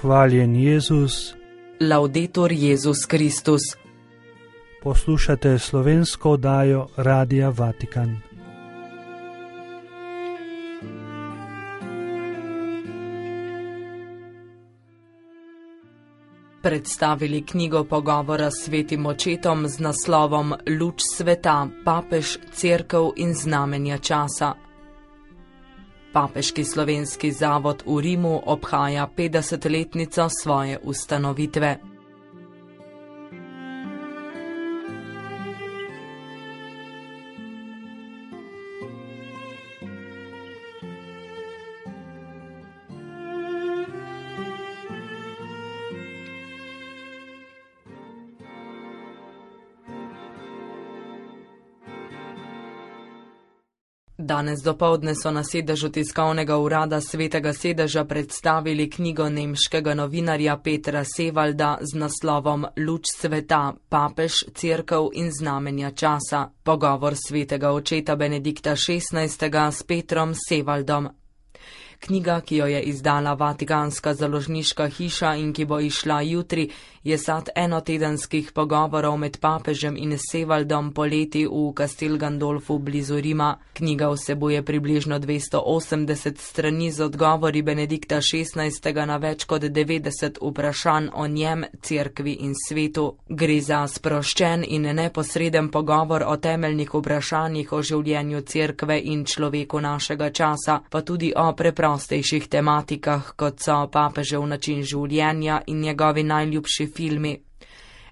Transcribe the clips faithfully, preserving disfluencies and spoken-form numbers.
Hvaljen Jezus. Laudetur Jezus Kristus. Poslušate slovensko oddajo Radia Vatikan. Predstavili knjigo pogovora s svetim očetom z naslovom Luč sveta, papež, cerkev in znamenja časa. Papeški slovenski zavod v Rimu obhaja petdesetletnico svoje ustanovitve. Danes dopoldne so na sedežu tiskovnega urada Svetega sedeža predstavili knjigo nemškega novinarja Petra Sevalda z naslovom Luč sveta, papež, cerkev in znamenja časa. Pogovor svetega očeta Benedikta šestnajstega s Petrom Sevaldom. Knjiga, ki jo je izdala Vatikanska založniška hiša in ki bo izšla jutri, je sad enotedenskih pogovorov med papežem in Sevaldom poleti v Castel Gandolfu blizu Rima. Knjiga vsebuje približno dvesto osemdeset strani z odgovori Benedikta šestnajstega na več kot devetdeset vprašanj o njem, cerkvi in svetu. Gre za sproščen in neposreden pogovor o temeljnih vprašanjih o življenju cerkve in človeku našega časa, pa tudi o preprostejših tematikah, kot so papežev način življenja in njegovi najljubši filmi.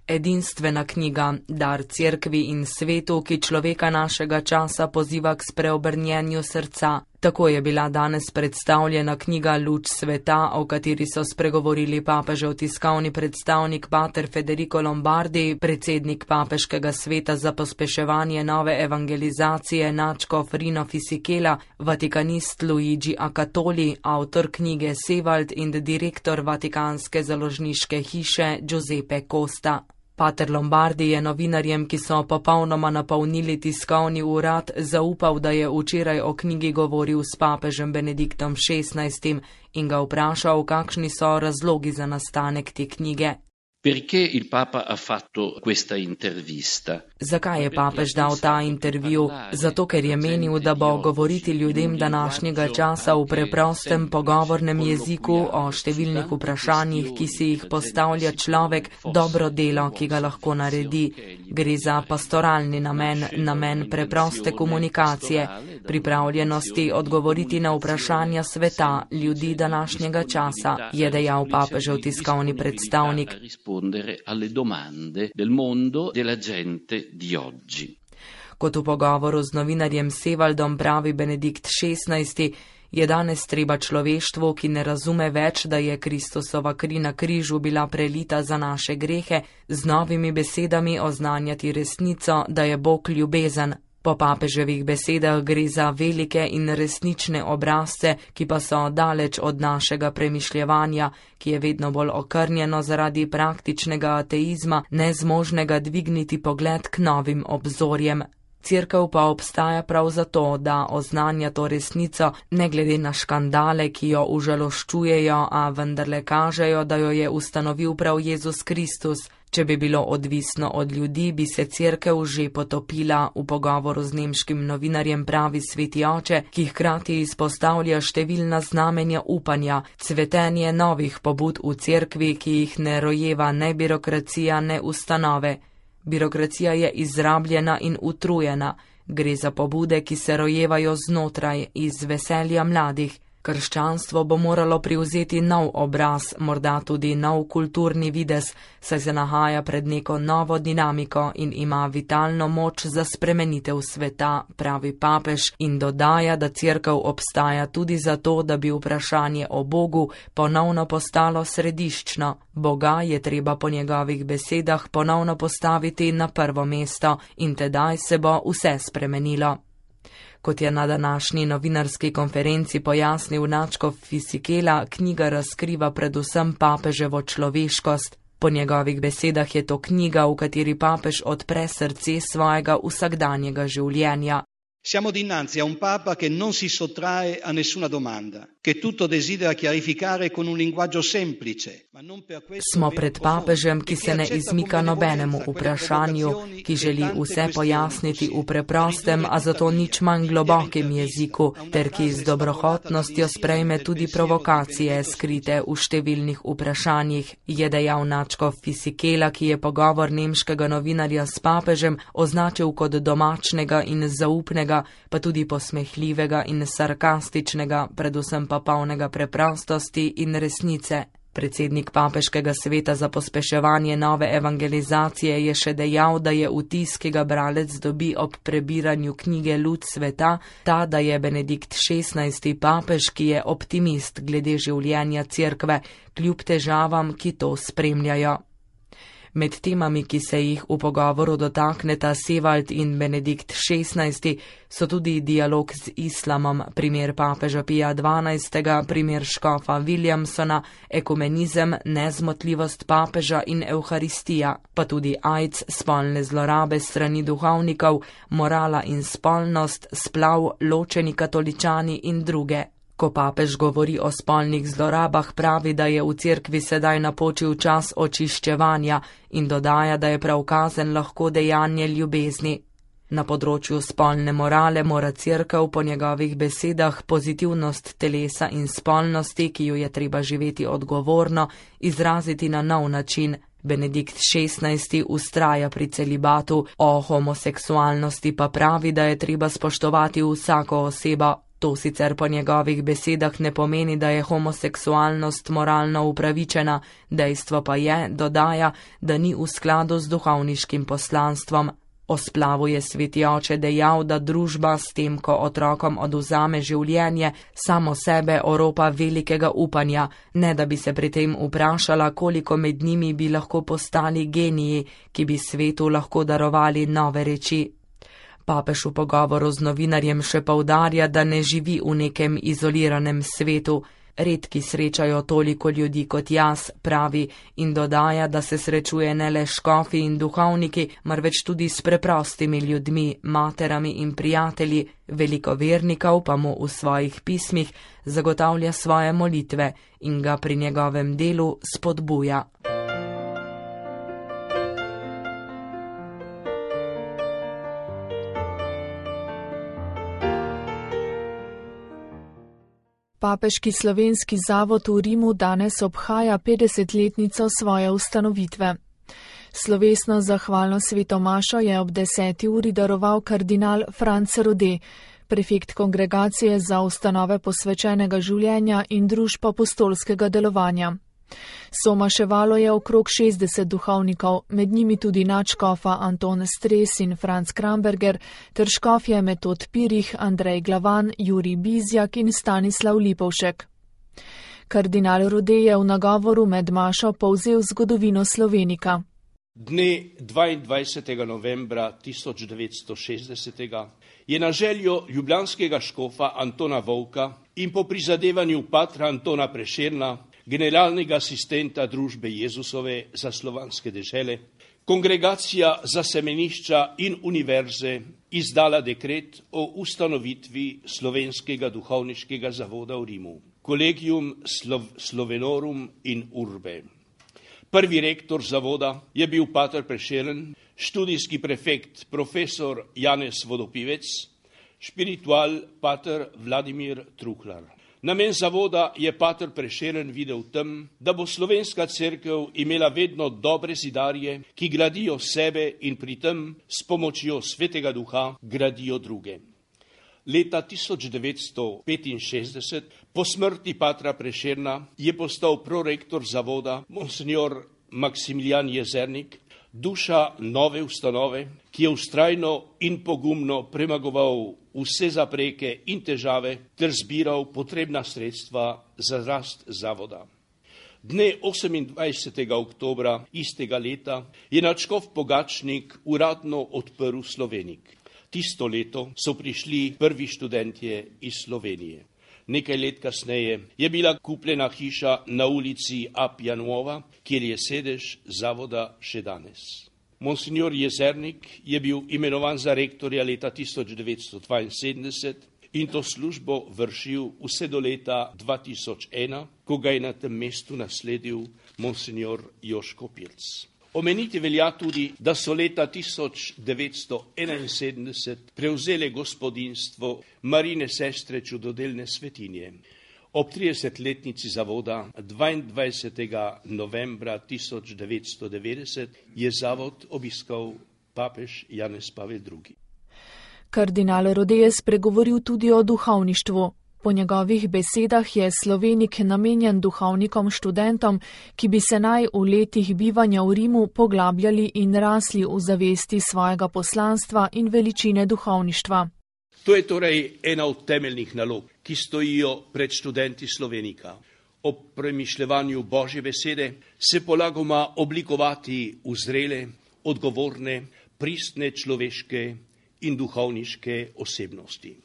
Edinstvena knjiga, dar cerkvi in svetu, ki človeka našega časa poziva k spreobrnjenju srca. Tako je bila danes predstavljena knjiga Luč sveta, o kateri so spregovorili papežev tiskovni predstavnik pater Federico Lombardi, predsednik papeškega sveta za pospeševanje nove evangelizacije nadškof Rino Fisichella, vatikanist Luigi Acatoli, avtor knjige Sevald in direktor Vatikanske založniške hiše Giuseppe Costa. Pater Lombardi je novinarjem, ki so popolnoma napolnili tiskovni urad, zaupal, da je včeraj o knjigi govoril s papežem Benediktom šestnajstim in ga vprašal, kakšni so razlogi za nastanek te knjige. Perché il Papa ha fatto questa intervista? Zakaj je papež dal ta intervju? Zato, ker je menil, da bo govoriti ljudem današnjega časa v preprostem pogovornem jeziku o številnih vprašanjih, ki si jih postavlja človek, dobro delo, ki ga lahko naredi. Gre za pastoralni namen, namen preproste komunikacije, pripravljenosti odgovoriti na vprašanja sveta, ljudi današnjega časa, je dejal papežev tiskovni predstavnik. alle domande del mondo della gente di oggi. Kot v pogovoru z novinarjem Sevaldom pravi Benedikt šestnajsti, je danes treba človeštvu, ki ne razume več, da je Kristusova kri na križu bila prelita za naše grehe, z novimi besedami oznanjati resnico, da je Bog ljubezen. Po papeževih besedah gre za velike in resnične obrazce, ki pa so daleč od našega premišljevanja, ki je vedno bolj okrnjeno zaradi praktičnega ateizma, nezmožnega dvigniti pogled k novim obzorjem. Cerkev pa obstaja prav zato, da oznanja to resnico, ne glede na škandale, ki jo užaloščujejo, a vendarle kažejo, da jo je ustanovil prav Jezus Kristus. Če bi bilo odvisno od ljudi, bi se cerkev že potopila, v pogovoru z nemškim novinarjem pravi sveti oče, ki hkrati izpostavlja številna znamenja upanja, cvetenje novih pobud v cerkvi, ki jih ne rojeva ne birokracija, ne ustanove. Birokracija je izrabljena in utrujena, gre za pobude, ki se rojevajo znotraj, iz veselja mladih. Krščanstvo bo moralo privzeti nov obraz, morda tudi nov kulturni videz, saj se nahaja pred neko novo dinamiko in ima vitalno moč za spremenitev sveta, pravi papež, in dodaja, da cerkev obstaja tudi zato, da bi vprašanje o Bogu ponovno postalo središčno. Boga je treba po njegovih besedah ponovno postaviti na prvo mesto in tedaj se bo vse spremenilo. Kot je na današnji novinarski konferenci pojasnil nadškof Fisichella, knjiga razkriva predvsem papeževo človeškost. Po njegovih besedah je to knjiga, v kateri papež odpre srce svojega vsakdanjega življenja. Siamo dinanzi a un Papa che non si sottrae a nessuna domanda, che tutto desidera chiarificare con un linguaggio semplice, ma non per questo Smo pred papežem, ki se ne izmika nobenemu vprašanju, ki želi vse pojasniti v preprostem, a zato nič manj globokem jeziku, ter ki z dobrohotnostjo sprejme tudi provokacije, skrite v številnih vprašanjih, je dejal nadškof Fisichella, ki je pogovor nemškega novinarja s papežem označil kot domačnega in zaupnega, pa tudi posmehljivega in sarkastičnega, predvsem pa polnega preprostosti in resnice. Predsednik papeškega sveta za pospeševanje nove evangelizacije je še dejal, da je vtis, ki ga bralec dobi ob prebiranju knjige Luč sveta, ta, da je Benedikt šestnajsti papež, ki je optimist glede življenja cerkve, kljub težavam, ki to spremljajo. Med temami, ki se jih v pogovoru dotakneta Sevald in Benedikt šestnajsti, so tudi dialog z islamom, primer papeža Pija dvanajstega, primer škofa Williamsona, ekumenizem, nezmotljivost papeža in evharistija, pa tudi AIDS, spolne zlorabe strani duhovnikov, morala in spolnost, splav, ločeni katoličani in druge. Ko papež govori o spolnih zlorabah, pravi, da je v cerkvi sedaj napočil čas očiščevanja in dodaja, da je prav kazen lahko dejanje ljubezni. Na področju spolne morale mora cerkev po njegovih besedah pozitivnost telesa in spolnosti, ki jo je treba živeti odgovorno, izraziti na nov način. Benedikt šestnajsti vztraja pri celibatu, o homoseksualnosti pa pravi, da je treba spoštovati vsako osebo. To sicer po njegovih besedah ne pomeni, da je homoseksualnost moralno upravičena, dejstvo pa je, dodaja, da ni v skladu z duhovniškim poslanstvom. O splavu je sveti oče dejal, da družba s tem, ko otrokom odvzame življenje, samo sebe oropa velikega upanja, ne da bi se pri tem vprašala, koliko med njimi bi lahko postali geniji, ki bi svetu lahko darovali nove reči. Papež v pogovoru z novinarjem še poudarja, da ne živi v nekem izoliranem svetu. Redki srečajo toliko ljudi kot jaz, pravi, in dodaja, da se srečuje ne le škofi in duhovniki, marveč tudi s preprostimi ljudmi, materami in prijatelji, veliko vernikov pa mu v svojih pismih zagotavlja svoje molitve in ga pri njegovem delu spodbuja. Papeški slovenski zavod v Rimu danes obhaja petdesetletnico svoje ustanovitve. Slovesno zahvalno svetomašo je ob deseti uri daroval kardinal Franc Rode, prefekt kongregacije za ustanove posvečenega življenja in družb apostolskega delovanja. Somaševalo je okrog šestdeset duhovnikov, med njimi tudi nadškofa Anton Stres in Franc Kramberger, ter škofje Metod Pirih, Andrej Glavan, Jurij Bizjak in Stanislav Lipovšek. Kardinal Rode je v nagovoru med mašo povzel zgodovino Slovenika. Dne dvaindvajsetega novembra tisoč devetsto šestdesetega je na željo ljubljanskega škofa Antona Vovka in po prizadevanju patra Antona Prešerna, generalnega asistenta družbe Jezusove za slovanske dežele, kongregacija za semenišča in univerze izdala dekret o ustanovitvi Slovenskega duhovniškega zavoda v Rimu, Collegium Slov- Slovenorum in Urbe. Prvi rektor zavoda je bil pater Prešeren, študijski prefekt profesor Janez Vodopivec, špiritual pater Vladimir Truhlar. Namen zavoda je pater Prešeren videl v tem, da bo slovenska cerkev imela vedno dobre zidarje, ki gradijo sebe in pri tem s pomočjo svetega duha gradijo druge. Leta tisoč devetsto petinšestdeset, po smrti patra Prešerna, je postal prorektor zavoda monsignor Maksimilijan Jezernik, duša nove ustanove, ki je vztrajno in pogumno premagoval vse zapreke in težave ter zbiral potrebna sredstva za rast zavoda. Dne osemindvajsetega oktobra istega leta je nadškof Pogačnik uradno odprl Slovenik. Tisto leto so prišli prvi študentje iz Slovenije. Nekaj let kasneje je bila kupljena hiša na ulici Apia Nuova, kjer je sedež zavoda še danes. Monsignor Jezernik je bil imenovan za rektorja leta tisoč devetsto dvainsedemdeset in to službo vršil vse do leta dva tisoč ena, ko ga je na tem mestu nasledil monsignor Joško Pirc. Omeniti velja tudi, da so leta tisoč devetsto enainsedemdeset prevzele gospodinjstvo Marine sestre čudodelne svetinje. Ob tridesetletnici zavoda dvaindvajsetega novembra tisoč devetsto devetdeset je zavod obiskal papež Janez Pavel drugi. Kardinal Rode je spregovoril tudi o duhovništvu. Po njegovih besedah je Slovenik namenjen duhovnikom študentom, ki bi se naj v letih bivanja v Rimu poglabljali in rasli v zavesti svojega poslanstva in veličine duhovništva. To je torej ena od temeljnih nalog, ki stojijo pred študenti Slovenika. Ob premišljevanju Božje besede se polagoma oblikovati v zrele, odgovorne, pristne človeške in duhovniške osebnosti.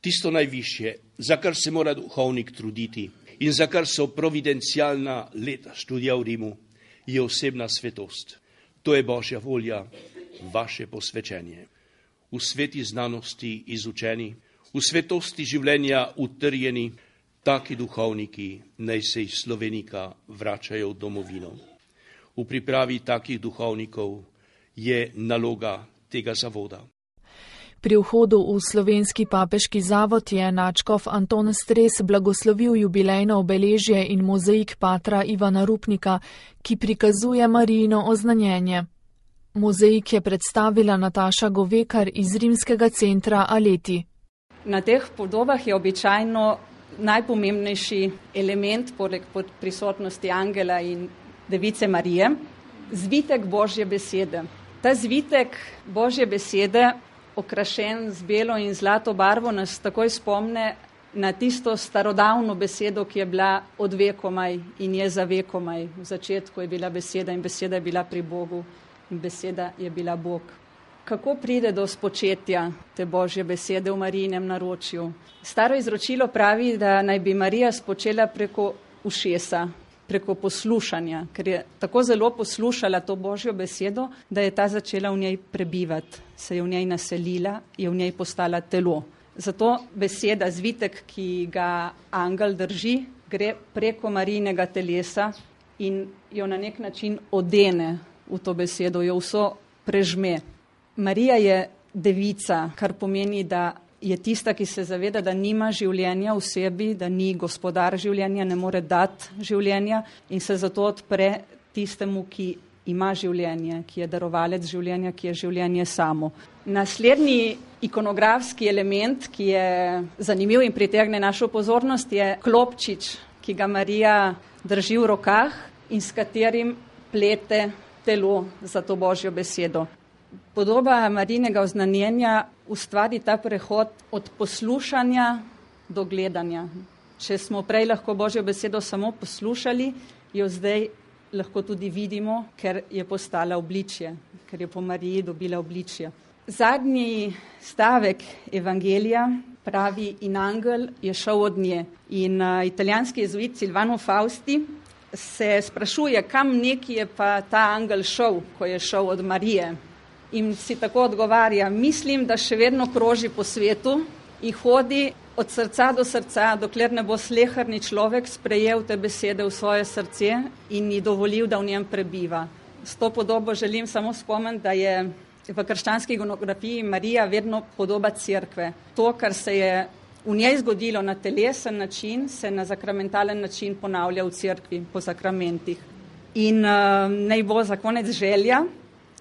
Tisto najvišje, za kar se mora duhovnik truditi in za kar so providencialna leta študija v Rimu, je osebna svetost. To je Božja volja, vaše posvečenje. V sveti znanosti izučeni, v svetosti življenja utrjeni, taki duhovniki naj se iz Slovenika vračajo v domovino. V pripravi takih duhovnikov je naloga tega zavoda. Pri vhodu v slovenski papeški zavod je nadškof Anton Stres blagoslovil jubilejno obeležje in mozaik patra Ivana Rupnika, ki prikazuje Marijino oznanjenje. Mozaik je predstavila Nataša Govekar iz rimskega centra Aleti. Na teh podobah je običajno najpomembnejši element, poleg prisotnosti angela in device Marije, zvitek Božje besede. Ta zvitek Božje besede, okrašen z belo in zlato barvo, nas takoj spomne na tisto starodavno besedo, ki je bila od vekomaj in je za vekomaj. V začetku je bila beseda in beseda je bila pri Bogu in beseda je bila Bog. Kako pride do spočetja te Božje besede v Marijinem naročju? Staro izročilo pravi, da naj bi Marija spočela preko ušesa, preko poslušanja, ker je tako zelo poslušala to Božjo besedo, da je ta začela v njej prebivati, se je v njej naselila, je v njej postala telo. Zato beseda, zvitek, ki ga angel drži, gre preko Marijinega telesa in jo na nek način odene v to besedo, jo vso prežme. Marija je devica, kar pomeni, da je tista, ki se zaveda, da nima življenja v sebi, da ni gospodar življenja, ne more dati življenja in se zato odpre tistemu, ki ima življenje, ki je darovalec življenja, ki je življenje samo. Naslednji ikonografski element, ki je zanimiv in pritegne našo pozornost, je klopčič, ki ga Marija drži v rokah in s katerim plete telo za to Božjo besedo. Podoba Marijinega oznanjenja ustvari ta prehod od poslušanja do gledanja. Če smo prej lahko Božjo besedo samo poslušali, jo zdaj lahko tudi vidimo, ker je postala obličje, ker je po Mariji dobila obličje. Zadnji stavek evangelija pravi: in angel je šel od nje. In uh, italijanski jezuit Silvano Fausti se sprašuje, kam neki je pa ta angel šel, ko je šel od Marije. In si tako odgovarja: mislim, da še vedno kroži po svetu in hodi od srca do srca, dokler ne bo sleherni človek sprejel te besede v svoje srce in ji dovolil, da v njem prebiva. S to podobo želim samo spomniti, da je v krščanski ikonografiji Marija vedno podoba cerkve. To, kar se je v njej zgodilo na telesen način, se na zakramentalen način ponavlja v cerkvi po sakramentih. In uh, naj bo za konec želja,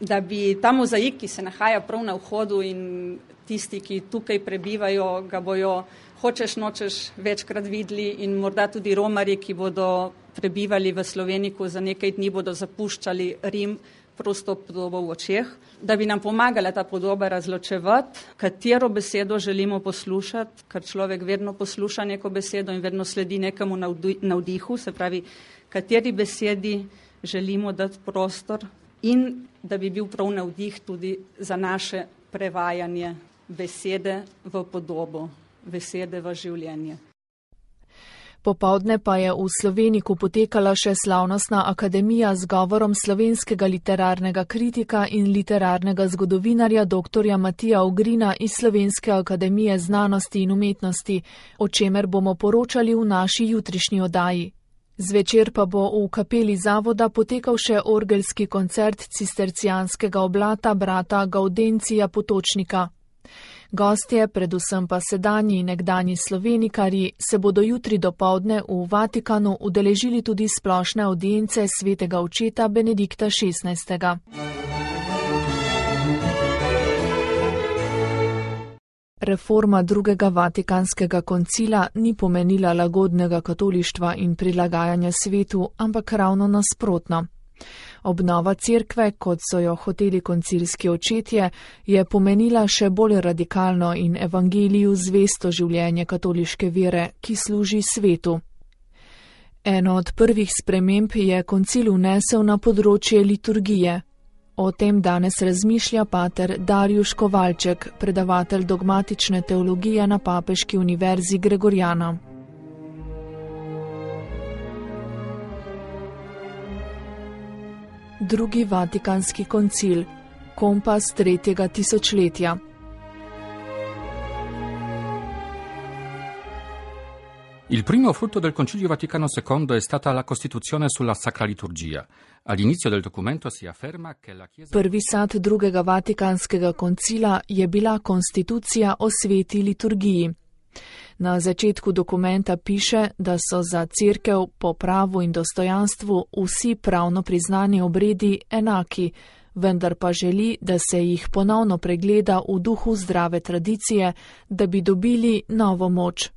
da bi ta mozaik, ki se nahaja prav na vhodu in tisti, ki tukaj prebivajo, ga bojo hočeš nočeš večkrat videli in morda tudi romarji, ki bodo prebivali v Sloveniku, za nekaj dni bodo zapuščali Rim, prosto podobo v očeh, da bi nam pomagala ta podoba razločevati, katero besedo želimo poslušati, ker človek vedno posluša neko besedo in vedno sledi nekemu navdihu, se pravi, kateri besedi želimo dati prostor in da bi bil prav navdih tudi za naše prevajanje besede v podobo, besede v življenje. Popovdne pa je v Sloveniku potekala še slavnostna akademija z govorom slovenskega literarnega kritika in literarnega zgodovinarja doktorja Matija Ogrina iz Slovenske akademije znanosti in umetnosti, o čemer bomo poročali v naši jutrišnji oddaji. Zvečer pa bo v kapeli zavoda potekal še orgelski koncert cistercijanskega oblata brata Gaudencija Potočnika. Gostje, predvsem pa sedanji in nekdanji slovenikarji, se bodo jutri dopoldne v Vatikanu udeležili tudi splošne avdience svetega očeta Benedikta šestnajstega. Reforma drugega vatikanskega koncila ni pomenila lagodnega katolištva in prilagajanja svetu, ampak ravno nasprotno. Obnova cerkve, kot so jo hoteli koncilski očetje, je pomenila še bolj radikalno in evangeliju zvesto življenje katoliške vere, ki služi svetu. Eno od prvih sprememb je koncil vnesel na področje liturgije. O tem danes razmišlja pater Darjuš Kovalček, predavatelj dogmatične teologije na Papeški univerzi Gregorjana. Drugi vatikanski koncil, kompas tretjega tisočletja. Il primo frutto del Concilio Vaticano secondo è stata la Costituzione sulla Sacra Liturgia. All'inizio del documento si afferma che la Chiesa... Prvi sad drugega vatikanskega koncila je bila konstitucija o sveti liturgiji. Na začetku dokumenta piše, da so za cerkev po pravu in dostojanstvu vsi pravno priznani obredi enaki, vendar pa želi, da se jih ponovno pregleda v duhu zdrave tradicije, da bi dobili novo moč.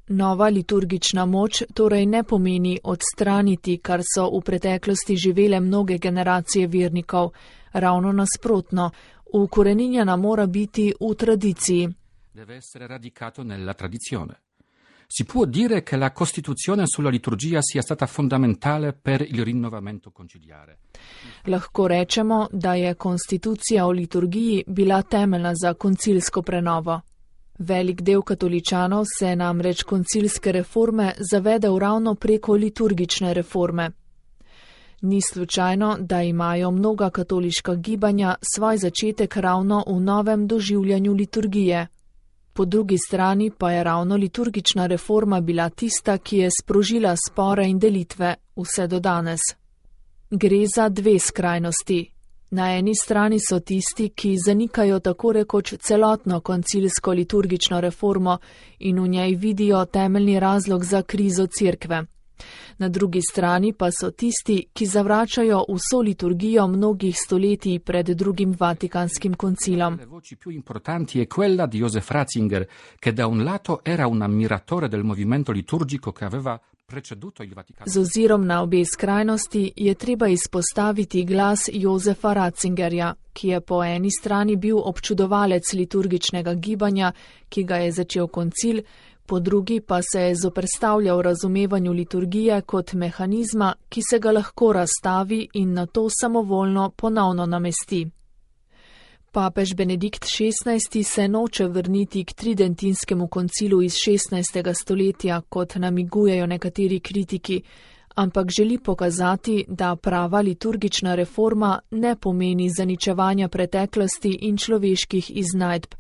Nova liturgična moč torej ne pomeni odstraniti, kar so v preteklosti živele mnoge generacije vernikov, ravno nasprotno, ukoreninjena mora biti v tradiciji. Deve essere radicato nella tradizione. Si può dire che la Costituzione sulla liturgia sia stata fondamentale per il rinnovamento conciliare. Lahko rečemo, da je konstitucija o liturgiji bila temeljna za koncilsko prenovo. Velik del katoličanov se namreč koncilske reforme zavedel ravno preko liturgične reforme. Ni slučajno, da imajo mnoga katoliška gibanja svoj začetek ravno v novem doživljanju liturgije. Po drugi strani pa je ravno liturgična reforma bila tista, ki je sprožila spore in delitve vse do danes. Gre za dve skrajnosti. Na eni strani so tisti, ki zanikajo tako rekoč celotno koncilsko liturgično reformo in v njej vidijo temeljni razlog za krizo cerkve. Na drugi strani pa so tisti, ki zavračajo vso liturgijo mnogih stoletij pred drugim vatikanskim koncilom. Le voci più importanti è quella di Joseph Ratzinger, che da un lato era un ammiratore del movimento liturgico che aveva preceduto il Vaticano. Z ozirom na obe skrajnosti je treba izpostaviti glas Josefa Ratzingerja, ki je po eni strani bil občudovalec liturgičnega gibanja, ki ga je začel koncil, po drugi pa se je zoperstavljal razumevanju liturgije kot mehanizma, ki se ga lahko razstavi in nato samovoljno ponovno namesti. Papež Benedikt šestnajsti se noče vrniti k tridentinskemu koncilu iz šestnajstega stoletja, kot namigujejo nekateri kritiki, ampak želi pokazati, da prava liturgična reforma ne pomeni zaničevanja preteklosti in človeških iznajdb,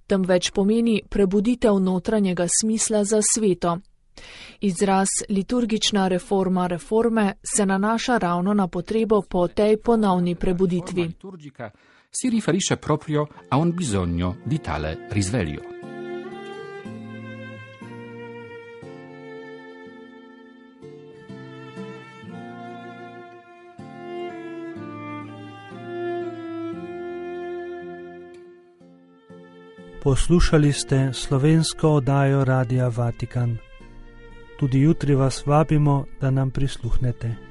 temveč pomeni prebuditev notranjega smisla za sveto. Izraz liturgična reforma reforme se nanaša ravno na potrebo po tej ponovni prebuditvi. Si riferisce proprio a un bisogno di tale risveglio. Poslušali ste slovensko oddajo Radia Vatikan. Tudi jutri vas vabimo, da nam prisluhnete.